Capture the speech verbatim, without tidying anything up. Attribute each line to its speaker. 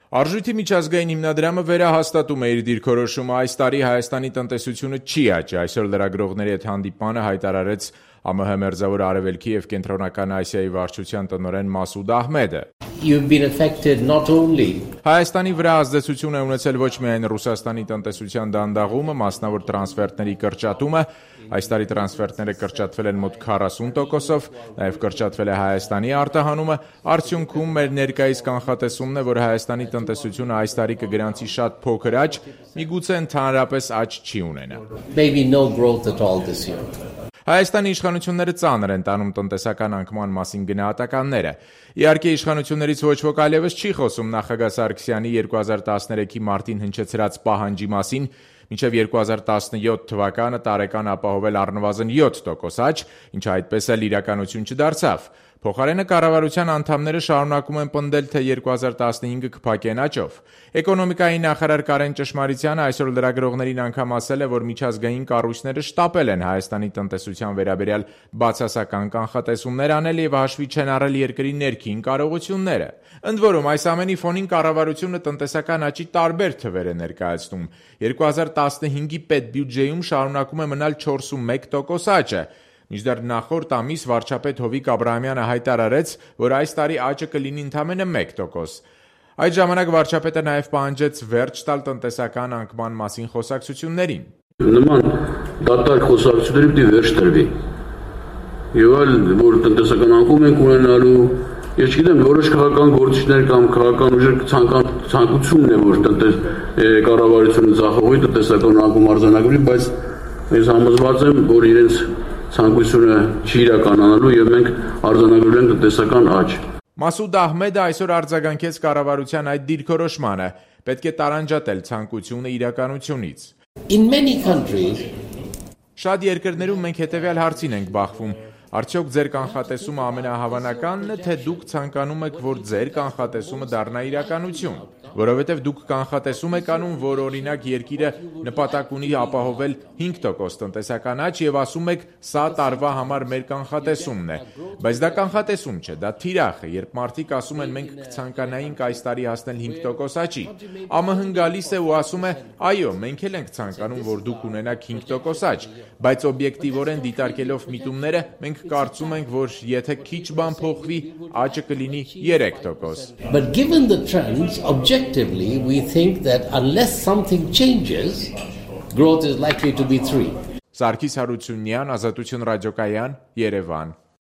Speaker 1: Արժույթի միջազգային հիմնադրամը վերահաստատում է իր դիրքորոշումը այս տարի Հայաստանի տնտեսությունը չի աճի, այսօր լրագրողների հետ հանդիպմանը հայտարարեց ԱՄՀ Մերձավոր Արևելքի և Կենտրոնական Ասիայի վարչության տնօրեն Մասուդ Ահմեդը։
Speaker 2: You've been affected not only
Speaker 1: Հայաստանի վրա ազդեցություն է ունեցել ոչ միայն Ռուսաստանի տնտեսության դանդաղումը, մասնավոր տրանսֆերտների կրճատումը, այս տարի տրանսֆերտները կրճատվել են մոտ քառասուն տոկոսով, նաև կրճատվել է Հայաստանի արտահանումը, արդյունքում մեր ներկայիս կանխատեսումն է, որ Հայաստանի տնտեսությունը այս տարի կգրանցի շատ փոքր աճ, միգուցե ընդհանրապես աճ չի ունենա։
Speaker 2: maybe no growth at all this year.
Speaker 1: Հայաստանի իշխանությունները ծանր են տանում տնտեսական անկման մասին գնահատականները։ Իհարկե իշխանություններից ոչ ոք այլևս չի խոսում նախագահ Սարգսյանի երկու հազար տասներեքի մարտին հնչեցրած պահանջի մասին, մինչև երկու հազար տասնյոթ թվականը տարեկան ապահովել առնվազն յոթ տոկոս աճ, ինչը այդպես էլ իրականություն չդարձավ։ Փոխարենը կառավարության անդամները շարունակում են պնդել, թե երկու հազար տասնհինգը կփակեն աճով։ Էկոնոմիկայի նախարար Կարեն Ճշմարիտյանը այսօր լրագրողներին անգամ ասել է, որ միջազգային կառույցները շտապել են Հայաստանի տնտեսության վերաբերյալ բացասական կանխատեսումներ անել և հաշվի չեն առել երկրի ներքին կարողությունները։ Ընդ որում, այս ամենի ֆոնին կառավարությունը տնտեսական աճի տարբեր թվեր է ներկայացնում։ երկու հազար տասնհինգի պետբյուջեում շարունակում է մնալ չորսունմեկ տոկոս աճը։ Մինչդեռ նախորդ ամիս վարչապետ Հովիկ Աբրահամյանը հայտարարեց, որ այս տարի աճը կլինի ընդամենը մեկ տոկոս։ Այդ ժամանակ վարչապետը նաև պահանջեց վերջ տալ տնտեսական անկման մասին խոսակցություններին։
Speaker 3: Նման դատարկ խոսակցությունների պիտի վերջ տրվի։ Եվ այլ, որ տնտեսական անկում ենք ունենալու, ես չգիտեմ, որոշ քաղաքական գործիչներ կամ քաղաքական ուժեր ցանկությունն է, որ տնտես կառավարությունը ձախողի տնտեսական անկում արձանագրի, բայց ես համոզված եմ, որ իրենց ցանկությունը չի իրականանալու եւ մենք արձանագրել ենք տնտեսական աճ։
Speaker 1: Մասուդ Ահմեդը այսօր արձագանքեց կառավարության այդ դիրքորոշմանը, պետք է տարանջատել ցանկությունը իրականությունից։
Speaker 2: In many countries
Speaker 1: Շատ երկրներում մենք հետևյալ հարցին ենք բախվում. արդյոք ձեր կանխատեսումը ամենահավանականն է, թե դուք ցանկանում եք, որ ձեր կանխատեսումը դառնա իրականություն, որովհետև դուք կանխատեսում եք անում, որ օրինակ երկիրը նպատակ ունի ապահովել հինգ տոկոս տնտեսական աճ եւ ասում եք, սա տարվա համար մեր կանխատեսումն է, բայց դա կանխատեսում չէ, դա թիրախ է, երբ մարդիկ ասում են մենք կցանկանայինք այս տարի հասնել հինգ տոկոս աճի, ԱՄՀ-ն գալիս է ու ասում է, այո, մենք էլ ենք ցանկանում, որ դուք ունենաք հինգ տոկոս աճ, բայց օբյեկտիվորեն դիտարկելով միտումները մենք կարծում ենք, որ եթե քիչ բան փոխվի, աճը կլինի երեք տոկոս։
Speaker 2: But given the trends, objectively, we think that unless something changes, growth is likely to be three.
Speaker 1: Սարգիս Հարությունյան, Ազատություն ռադիոկայան, Երևան։